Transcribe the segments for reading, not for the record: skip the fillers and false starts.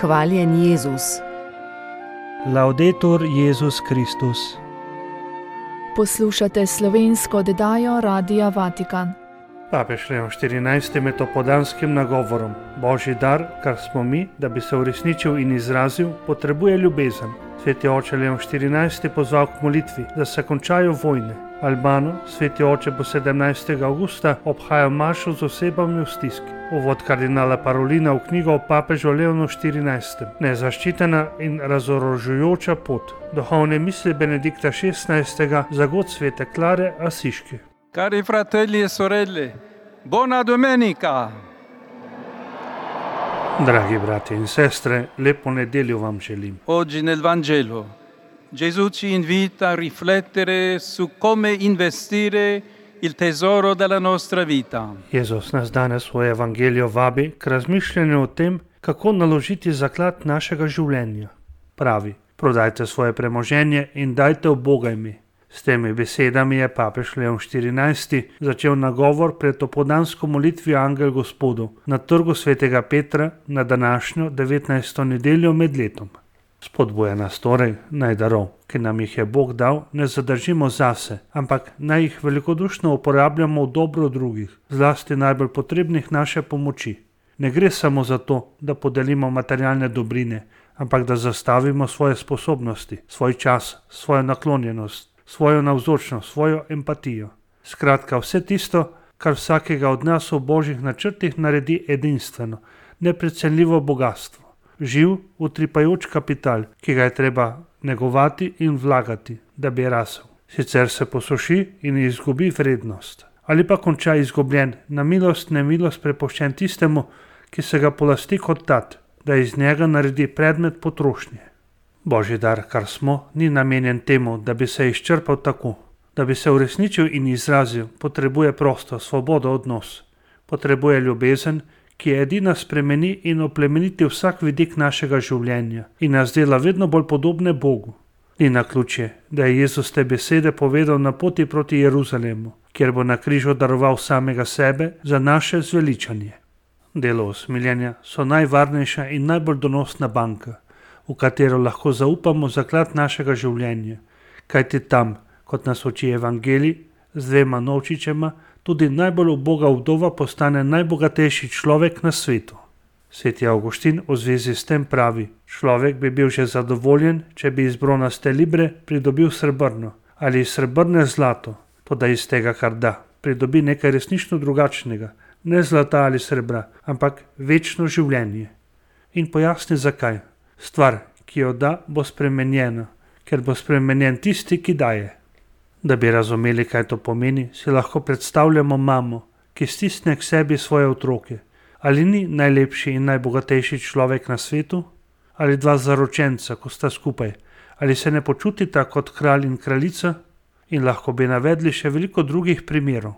Hvaljen Jezus. Laudetur Jezus Kristus. Poslušate slovensko oddajo Radia Vatikan. Papež Leon XIV med opoldanskim nagovorom: Božji dar, kar smo mi, da bi se uresničil in izrazil, potrebuje ljubezen. Sveti oče Leon XIV je pozval k molitvi, da se končajo vojne. Albano, sveti oče bo 17. avgusta obhajal mašo z osebami v stiski. Uvod kardinala Parolina v knjigo o papežu Leonu XIV. Nezaščitena in razorožujoča pot. Duhovne misli Benedikta XVI za god svete Klare Asiške. Cari fratelli e sorelle, buona domenica! Dragi brati in sestre, lepo nedeljo vam želim. Oggi nel Vangelo Gesù ci invita a riflettere su come investire il tesoro della nostra vita. Jezus nas danes v Evangeliju vabi k razmišljanju o tem, kako naložiti zaklad našega življenja. Pravi: prodajte svoje premoženje in dajte ubogajmi. S temi besedami je papež Leon XIV začel nagovor pred opoldansko molitvijo Angel Gospodu na trgu svetega Petra na današnjo 19. nedeljo med letom. Spodbuja nas torej, naj darov, ki nam jih je Bog dal, ne zadržimo zase, ampak naj jih velikodušno uporabljamo v dobro drugih, zlasti najbolj potrebnih naše pomoči. Ne gre samo za to, da podelimo materialne dobrine, ampak da zastavimo svoje sposobnosti, svoj čas, svojo naklonjenost, svojo navzočnost, svojo empatijo. Skratka, vse tisto, kar vsakega od nas v Božjih načrtih naredi edinstveno, neprecenljivo bogatstvo. Živ, utripajoč kapital, ki ga je treba negovati in vlagati, da bi rasel. Sicer se posuši in izgubi vrednost. Ali pa konča izgubljen, na milost, nemilost prepuščen tistemu, ki se ga polasti kot tat, da iz njega naredi predmet potrošnje. Božji dar, kar smo, ni namenjen temu, da bi se izčrpal tako. Da bi se uresničil in izrazil, potrebuje prosto, svobodo odnos. Potrebuje ljubezen, ki je edina spremeni in oplemeniti vsak vidik našega življenja in nas dela vedno bolj podobne Bogu. Ni naključje, da je Jezus te besede povedal na poti proti Jeruzalemu, kjer bo na križu daroval samega sebe za naše zveličanje. Delo usmiljenja so najvarnejša in najbolj donosna banka, v katero lahko zaupamo zaklad našega življenja, kajti tam, kot nas uči Evangelij, z 2 novčičema, tudi najbolj uboga vdova postane najbogatejši človek na svetu. Sveti Avguštin v zvezi s tem pravi: človek bi bil že zadovoljen, če bi iz bronaste libre pridobil srebrno, ali iz srebrne zlato, toda iz tega, kar da, pridobi nekaj resnično drugačnega, ne zlata ali srebra, ampak večno življenje. In pojasni zakaj. Stvar, ki jo da, bo spremenjena, ker bo spremenjen tisti, ki daje. Da bi razumeli, kaj to pomeni, si lahko predstavljamo mamo, ki stisne k sebi svoje otroke. Ali ni najlepši in najbogatejši človek na svetu? Ali 2 zaročenca, ko sta skupaj? Ali se ne počutita kot kralj in kraljica? In lahko bi navedli še veliko drugih primerov.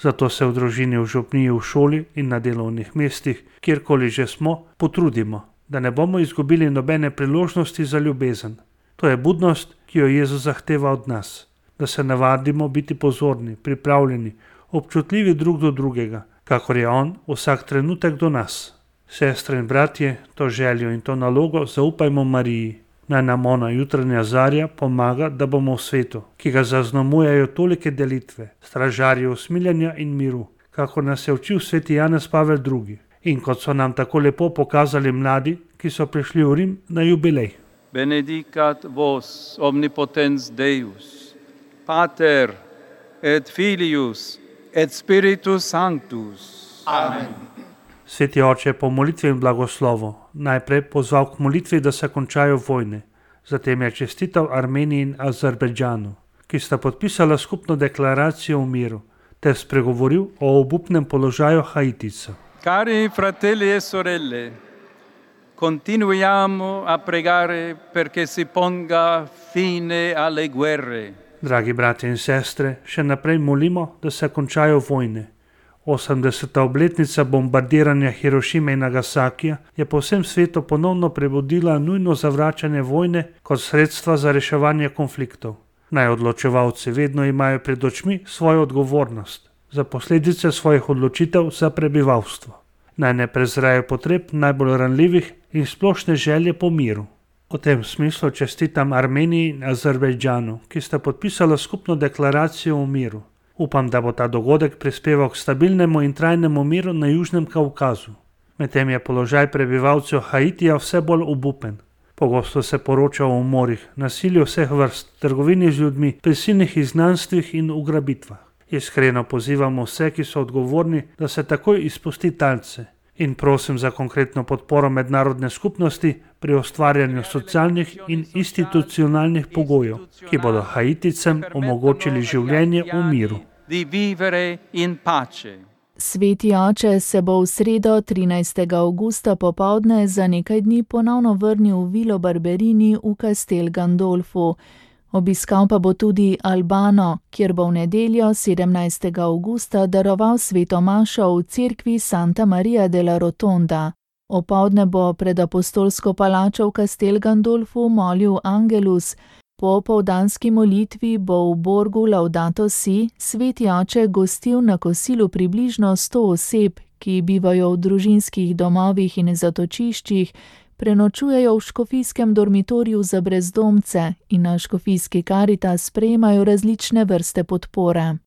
Zato se v družini, v župniji, v šoli in na delovnih mestih, kjerkoli že smo, potrudimo, da ne bomo izgubili nobene priložnosti za ljubezen. To je budnost, ki jo Jezus zahteva od nas. Da se navadimo biti pozorni, pripravljeni, občutljivi drug do drugega, kakor je on vsak trenutek do nas. Sestre in bratje, to željo in to nalogo zaupajmo Mariji. Naj nam ona, jutranja zarja, pomaga, da bomo v svetu, ki ga zaznamujejo tolike delitve, stražarji usmiljenja in miru, kako nas je učil sveti Janez Pavel II. In kot so nam tako lepo pokazali mladi, ki so prišli v Rim na jubilej. Benedicat vos omnipotens Deus, Pater et Filius et Spiritus Sanctus. Amen. Sveti oče je po molitvi in blagoslovu najprej pozval k molitvi, da se končajo vojne. Zatem je čestital Armeniji in Azerbejdžanu, ki sta podpisala skupno deklaracijo o miru, ter spregovoril o obupnem položaju Haitica. Cari fratelli e sorelle, continuiamo a pregare perché si ponga fine alle guerre. Dragi brati in sestre, še naprej molimo, da se končajo vojne. 80. obletnica bombardiranja Hirošime in Nagasakija je po vsem svetu ponovno prebudila nujno zavračanje vojne kot sredstva za reševanje konfliktov. Naj odločevalci vedno imajo pred očmi svojo odgovornost za posledice svojih odločitev za prebivalstvo. naj ne prezrejo potreb najbolj ranljivih in splošne želje po miru. V tem smislu čestitam Armeniji in Azerbejdžanu, ki sta podpisala skupno deklaracijo o miru. Upam, da bo ta dogodek prispeval k stabilnemu in trajnemu miru na Južnem Kaukazu. Medtem je položaj prebivalcev Haitija vse bolj obupen. Pogosto se poroča o umorih, nasilju vseh vrst, trgovini z ljudmi, prisilnih izgnanstvih in ugrabitvah. Iskreno pozivamo vse, ki so odgovorni, da se takoj izpusti talce. In prosim za konkretno podporo mednarodne skupnosti pri ustvarjanju socialnih in institucionalnih pogojev, ki bodo Haiticem omogočili življenje v miru. Sveti oče se bo v sredo 13. avgusta popoldne za nekaj dni ponovno vrnil v Vilo Barberini v Castel Gandolfu. Obiskal pa bo tudi Albano, kjer bo v nedeljo 17. avgusta daroval sveto mašo v cerkvi Santa Maria della Rotonda. Opoldne bo pred apostolsko palačo v Castel Gandolfu molil Angelus. Po opoldanski molitvi bo v Borgu Laudato Si sveti oče gostil na kosilu približno 100 oseb, ki bivajo v družinskih domovih in zatočiščih, prenočujejo v škofijskem dormitoriju za brezdomce in na škofijski Karitas sprejemajo različne vrste podpore.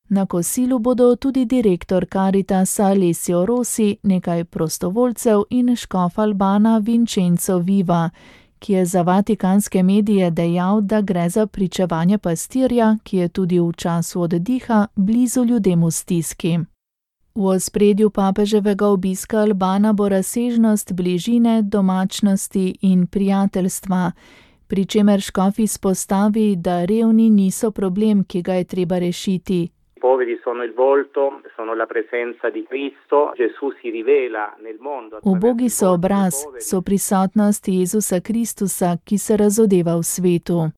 Na kosilu bodo tudi direktor Karitasa Alessio Rossi, nekaj prostovoljcev in škof Albana Vincenzo Viva, ki je za vatikanske medije dejal, da gre za pričevanje pastirja, ki je tudi v času oddiha blizu ljudem v stiski. V ospredju papeževega obiska Albana bo razsežnost bližine, domačnosti in prijateljstva, pri čemer škof izpostavi, da revni niso problem, ki ga je treba rešiti. Ubogi so obraz, so prisotnost Jezusa Kristusa, ki se razodeva v svetu.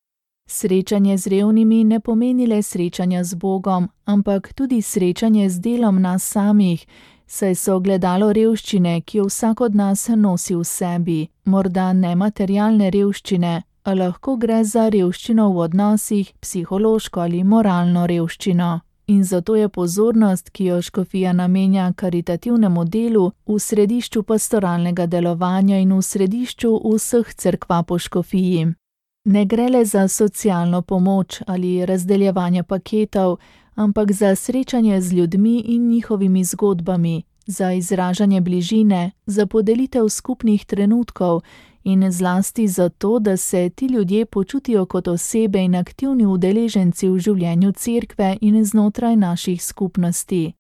Srečanje z revnimi ne pomeni le srečanja z Bogom, ampak tudi srečanje z delom nas samih, saj so ogledalo revščine, ki jo vsak od nas nosi v sebi, morda ne materialne revščine, a lahko gre za revščino v odnosih, psihološko ali moralno revščino. In zato je pozornost, ki jo škofija namenja karitativnemu delu, v središču pastoralnega delovanja in v središču vseh cerkva po škofiji. Ne gre le za socialno pomoč ali razdeljevanje paketov, ampak za srečanje z ljudmi in njihovimi zgodbami, za izražanje bližine, za podelitev skupnih trenutkov in zlasti zato, da se ti ljudje počutijo kot osebe in aktivni udeleženci v življenju cerkve in znotraj naših skupnosti.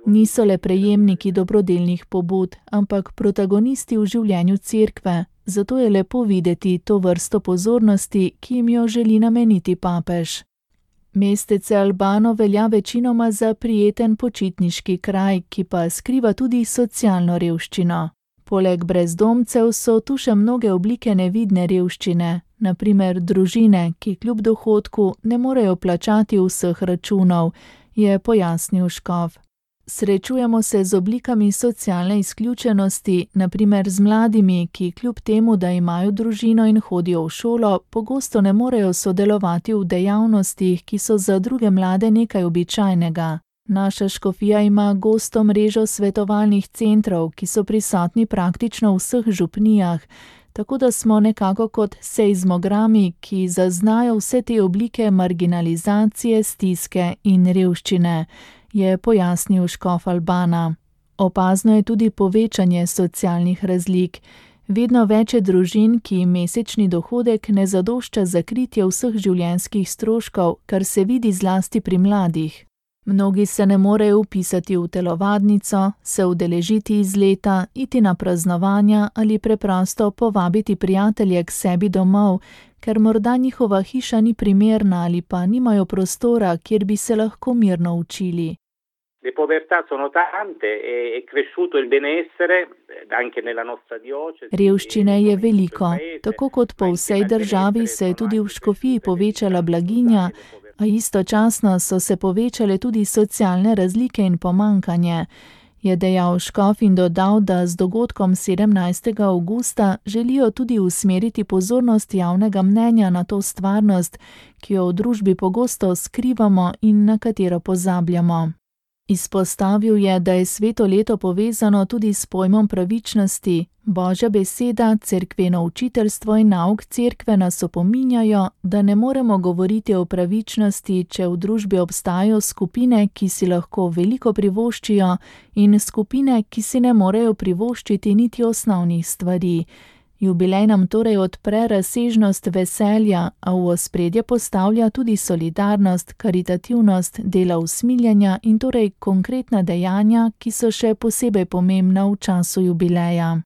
Niso le prejemniki dobrodelnih pobud, ampak protagonisti v življenju cerkve, zato je lepo videti to vrsto pozornosti, ki jim jo želi nameniti papež. Mestece Albano velja večinoma za prijeten počitniški kraj, ki pa skriva tudi socialno revščino. Poleg brezdomcev so tu še mnoge oblike nevidne revščine, na primer družine, ki kljub dohodku ne morejo plačati vseh računov, je pojasnil škof. Srečujemo se z oblikami socialne izključenosti, na primer z mladimi, ki kljub temu, da imajo družino in hodijo v šolo, pogosto ne morejo sodelovati v dejavnostih, ki so za druge mlade nekaj običajnega. Naša škofija ima gosto mrežo svetovalnih centrov, ki so prisotni praktično v vseh župnijah, tako da smo nekako kot seizmogrami, ki zaznajo vse te oblike marginalizacije, stiske in revščine, je pojasnil škof Albana. Opazno je tudi povečanje socialnih razlik. Vedno več je družin, ki jim mesečni dohodek ne zadošča za kritje vseh življenjskih stroškov, kar se vidi zlasti pri mladih. Mnogi se ne morejo vpisati v telovadnico, se udeležiti izleta, iti na praznovanja ali preprosto povabiti prijatelje k sebi domov, ker morda njihova hiša ni primerna ali pa nimajo prostora, kjer bi se lahko mirno učili. Revščine je veliko. Tako kot po vsej državi se je tudi v škofiji povečala blaginja, a istočasno so se povečale tudi socialne razlike in pomankanje. je dejal škof in dodal, da z dogodkom 17. avgusta želijo tudi usmeriti pozornost javnega mnenja na to stvarnost, ki jo v družbi pogosto skrivamo in na katero pozabljamo. Izpostavil je, da je sveto leto povezano tudi s pojmom pravičnosti. Božja beseda, cerkveno učiteljstvo in nauk cerkve nas opominjajo, da ne moremo govoriti o pravičnosti, če v družbi obstajajo skupine, ki si lahko veliko privoščijo, in skupine, ki si ne morejo privoščiti niti osnovnih stvari. Jubilej nam torej odpre razsežnost veselja, a v ospredje postavlja tudi solidarnost, karitativnost, dela usmiljenja in torej konkretna dejanja, ki so še posebej pomembna v času jubileja.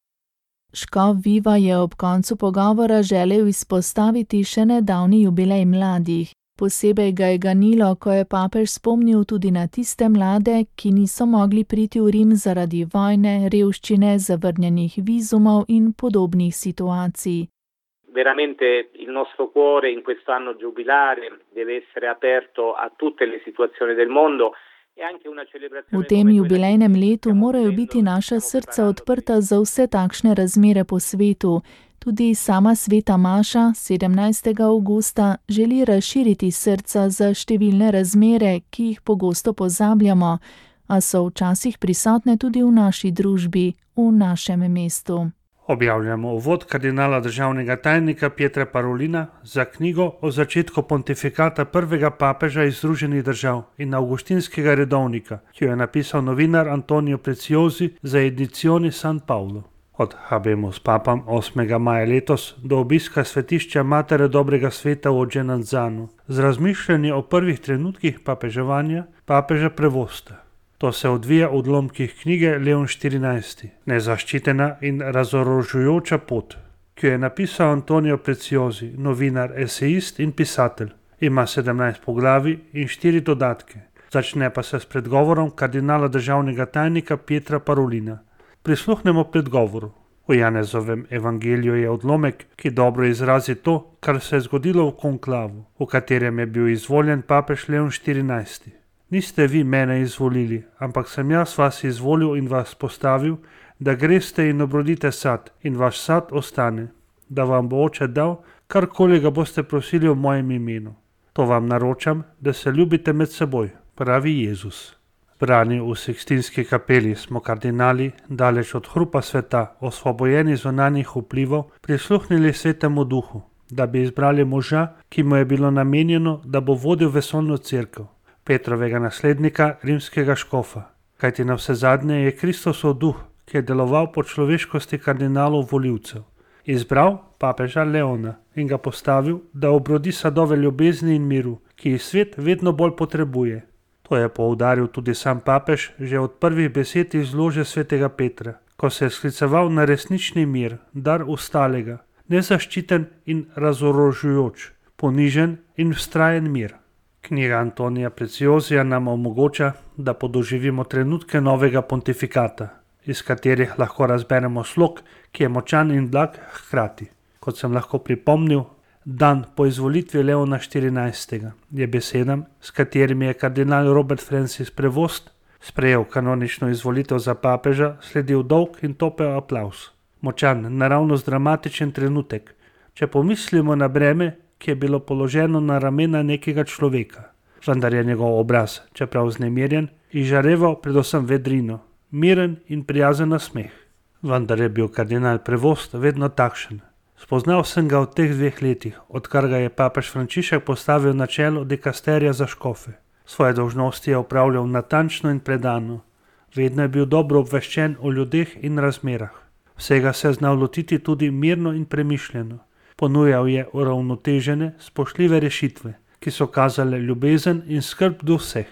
Škof Viva je ob koncu pogovora želel izpostaviti še nedavni jubilej mladih. Posebej ga je ganilo, ko je papež spomnil tudi na tiste mlade, ki niso mogli priti v Rim zaradi vojne, revščine, zavrnjenih vizumov in podobnih situacij. Veramente il nostro cuore in quest'anno giubilare deve essere aperto a tutte le situazioni del mondo. V tem jubilejnem letu morajo biti naša srca odprta za vse takšne razmere po svetu. Tudi sama sveta Maša 17. avgusta želi razširiti srca za številne razmere, ki jih pogosto pozabljamo, a so včasih prisotne tudi v naši družbi, v našem mestu. Objavljamo uvod kardinala državnega tajnika Pietra Parolina za knjigo o začetku pontifikata prvega papeža iz Združenih držav in avgustinskega redovnika, ki jo je napisal novinar Antonio Preziosi za Edizioni San Paolo. Od Habemus Papam 8. maja letos do obiska svetišča Matere dobrega sveta v Ođenanzanu z razmišljanje o prvih trenutkih papeževanja papeža Prevosta. To se odvija v odlomkih knjige Leon XIV, Nezaščitena in razorožujoča pot, ki jo je napisal Antonio Preziosi, novinar, esejist in pisatelj. Ima 17 poglavij in 4 dodatke. Začne pa se s predgovorom kardinala državnega tajnika Pietra Parolina. Prisluhnemo predgovoru. V Janezovem evangeliju je odlomek, ki dobro izrazi to, kar se je zgodilo v konklavu, v katerem je bil izvoljen papež Leon XIV. Niste vi mene izvolili, ampak sem jaz vas izvolil in vas postavil, da greste in obrodite sad in vaš sad ostane, da vam bo Oče dal, karkoli ga boste prosili v mojem imenu. To vam naročam, da se ljubite med seboj, pravi Jezus. Brani v Sikstinski kapeli smo kardinali, daleč od hrupa sveta, osvobojeni zunanjih vplivov, prisluhnili Svetemu Duhu, da bi izbrali moža, ki mu je bilo namenjeno, da bo vodil vesoljno cerkev, Petrovega naslednika, rimskega škofa. Kajti navsezadnje je Kristusov duh, ki je deloval po človeškosti kardinalov volivcev, izbral papeža Leona in ga postavil, da obrodi sadove ljubezni in miru, ki jih svet vedno bolj potrebuje. To je poudaril tudi sam papež že od prvih besed iz lože svetega Petra, ko se je skliceval na resnični mir, dar ostalega, nezaščiten in razorožujoč, ponižen in vztrajen mir. Knjiga Antonija Preziosija nam omogoča, da podoživimo trenutke novega pontifikata, iz katerih lahko razberemo slog, ki je močan in blag hkrati. Kot sem lahko pripomnil, dan po izvolitvi Leona XIV. Je besedam, s katerimi je kardinal Robert Francis Prevost sprejel kanonično izvolitev za papeža, sledil dolg in topel aplavz. Močan, naravnost dramatičen trenutek, če pomislimo na breme, ki je bilo položeno na ramena nekega človeka. Vendar je njegov obraz, čeprav vznemirjen, izžareval predvsem vedrino, miren in prijazen nasmeh. Vendar je bil kardinal Prevost vedno takšen. Spoznal sem ga v teh 2 letih, odkar ga je papež Frančišek postavil na čelo dikasterija za škofe. Svoje dolžnosti je opravljal natančno in predano. Vedno je bil dobro obveščen o ljudeh in razmerah. Vsega se je znal lotiti tudi mirno in premišljeno. Ponujal je uravnotežene, spoštljive rešitve, ki so kazale ljubezen in skrb do vseh.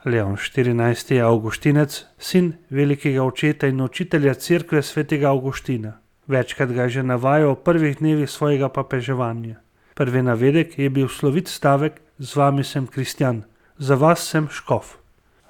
Leon XIV. Je avgustinec, sin velikega očeta in učitelja cerkve svetega Avgustina. Večkrat ga je že navajal v prvih dnevih svojega papeževanja. Prvi navedek je bil slovit stavek: z vami sem kristjan, za vas sem škof.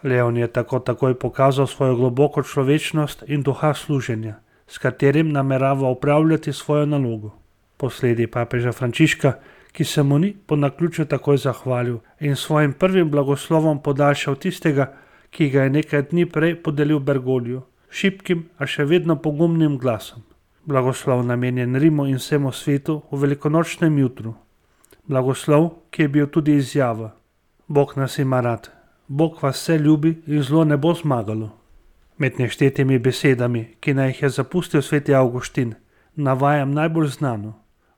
Leon je takoj pokazal svojo globoko človečnost in duha služenja, s katerim namerava upravljati svojo nalogo. Posledi papeža Frančiška, ki se mu ni po naključju takoj zahvalil in svojim prvim blagoslovom podaljšal tistega, ki ga je nekaj dni prej podelil Bergogliju, šibkim, a še vedno pogumnim glasom. Blagoslov namenjen Rimu in vsemu svetu v velikonočnem jutru. Blagoslov, ki je bil tudi izjava: Bog nas ima rad, Bog vas vse ljubi in zlo ne bo zmagalo. Med neštetimi besedami, ki naj jih je zapustil sveti Avguštin, navajam najbolj znano: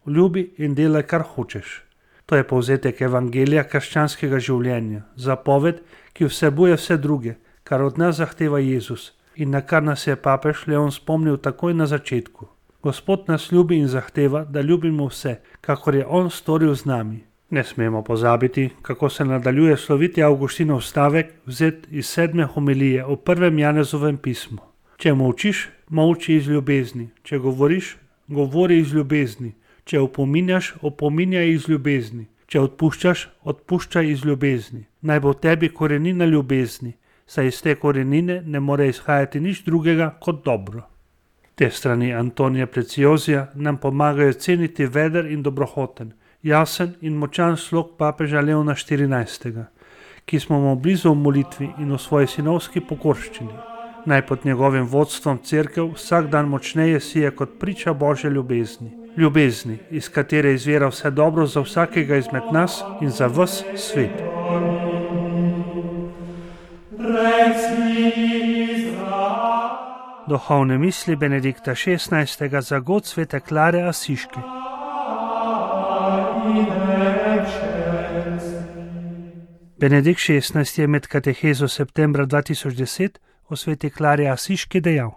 ljubi in delaj, kar hočeš. To je povzetek evangelija krščanskega življenja, zapoved, ki vsebuje vse druge, kar od nas zahteva Jezus in na kar nas je papež Leon spomnil takoj na začetku. Gospod nas ljubi in zahteva, da ljubimo vse, kakor je on storil z nami. Ne smemo pozabiti, kako se nadaljuje sloviti Avguštinov stavek, vzet iz 7. homilije o 1. Janezovem pismu. Če molčiš, molči iz ljubezni, če govoriš, govori iz ljubezni, če opominjaš, opominjaj iz ljubezni, če odpuščaš, odpuščaj iz ljubezni. Naj bo v tebi korenina ljubezni, saj iz te korenine ne more izhajati nič drugega kot dobro. Te strani Antonija Preciozija nam pomagajo ceniti veder in dobrohoten, jasen in močan slog papeža Leona XIV, ki smo mu blizu v molitvi in v svoji sinovski pokorščini. Naj pod njegovim vodstvom cerkev vsak dan močneje sije kot priča Božje ljubezni. Ljubezni, iz katere izvira vse dobro za vsakega izmed nas in za ves svet. Duhovne misli Benedikta XVI. Za god svete Klare Asiške. Benedikt XVI. Je med katehezo septembra 2010 o sveti Klari Asiški dejal: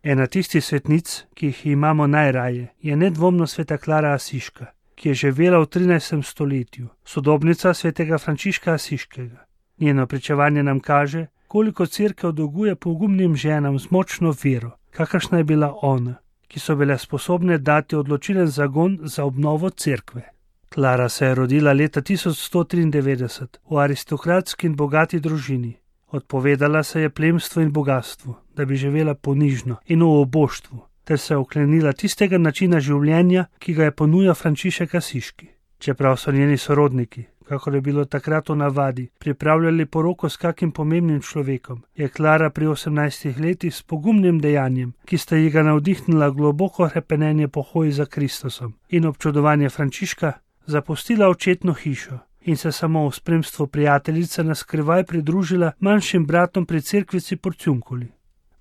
Ena tistih svetnic, ki jih imamo najraje, je nedvomno sveta Klara Asiška, ki je živela v 13. stoletju, sodobnica svetega Frančiška Asiškega. Njeno pričevanje nam kaže, koliko cerkev dolguje pogumnim ženam z močno vero, kakršna je bila ona, ki so bile sposobne dati odločilen zagon za obnovo cerkve. Klara se je rodila leta 1193 v aristokratski in bogati družini. Odpovedala se je plemstvu in bogatstvu, da bi živela ponižno in v oboštvu, ter se oklenila tistega načina življenja, ki ga je ponujal Frančišek Asiški. Čeprav so njeni sorodniki, kakor je bilo takrat v navadi, pripravljali poroko s kakim pomembnim človekom, je Klara pri 18 letih s pogumnim dejanjem, ki sta ji ga navdihnila globoko hrepenenje po hoji za Kristusom in občudovanje Frančiška, zapustila očetno hišo in se samo v spremstvu prijateljice na skrivaj pridružila manjšim bratom pri cerkvici Porciunkuli.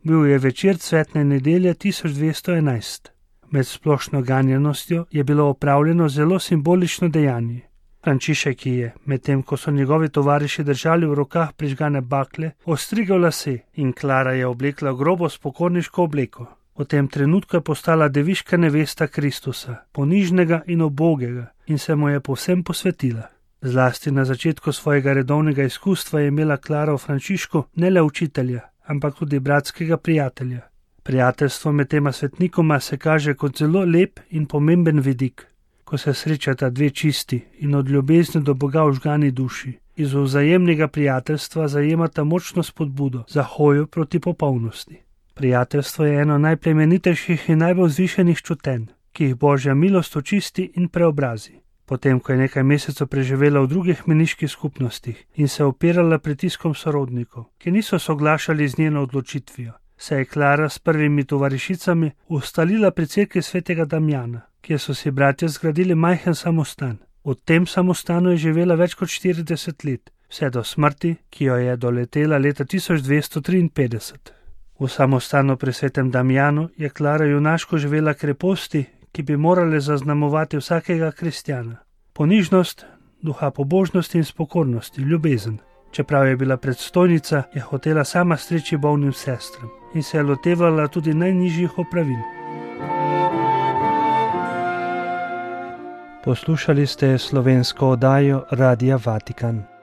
Bil je večer cvetne nedelje 1211. Med splošno ganjenostjo je bilo opravljeno zelo simbolično dejanje. Frančišek je, medtem ko so njegovi tovariši držali v rokah prižgane bakle, ostrigal lase in Klara je oblekla grobo spokorniško obleko. V tem trenutku je postala deviška nevesta Kristusa, ponižnega in ubogega, in se mu je povsem posvetila. Zlasti na začetku svojega redovnega izkustva je imela Klara v Frančišku ne le učitelja, ampak tudi bratskega prijatelja. Prijateljstvo med tema svetnikoma se kaže kot zelo lep in pomemben vidik, ko se srečata dve čisti in od ljubezni do Boga vžgani duši. Iz vzajemnega prijateljstva zajemata močno spodbudo za hojo proti popolnosti. Prijateljstvo je eno najplemenitejših in najbolj vzvišenih čutenj, ki jih Božja milost očisti in preobrazi. Potem, ko je nekaj mesecev preživela v drugih meniških skupnostih in se opirala pritiskom sorodnikov, ki niso soglašali z njeno odločitvijo, se je Klara s prvimi tovarišicami ustalila pri cerkvi svetega Damjana, kjer so si bratje zgradili majhen samostan. V tem samostanu je živela več kot 40 let, vse do smrti, ki jo je doletela leta 1253. V samostanu pri svetem Damjanu je Klara junaško živela kreposti, ki bi morale zaznamovati vsakega kristjana. Ponižnost, duha pobožnosti in spokornosti, ljubezen. Čeprav je bila predstojnica, je hotela sama streči bolnim sestram in se je lotevala tudi najnižjih opravil. Poslušali ste slovensko oddajo Radia Vatikan.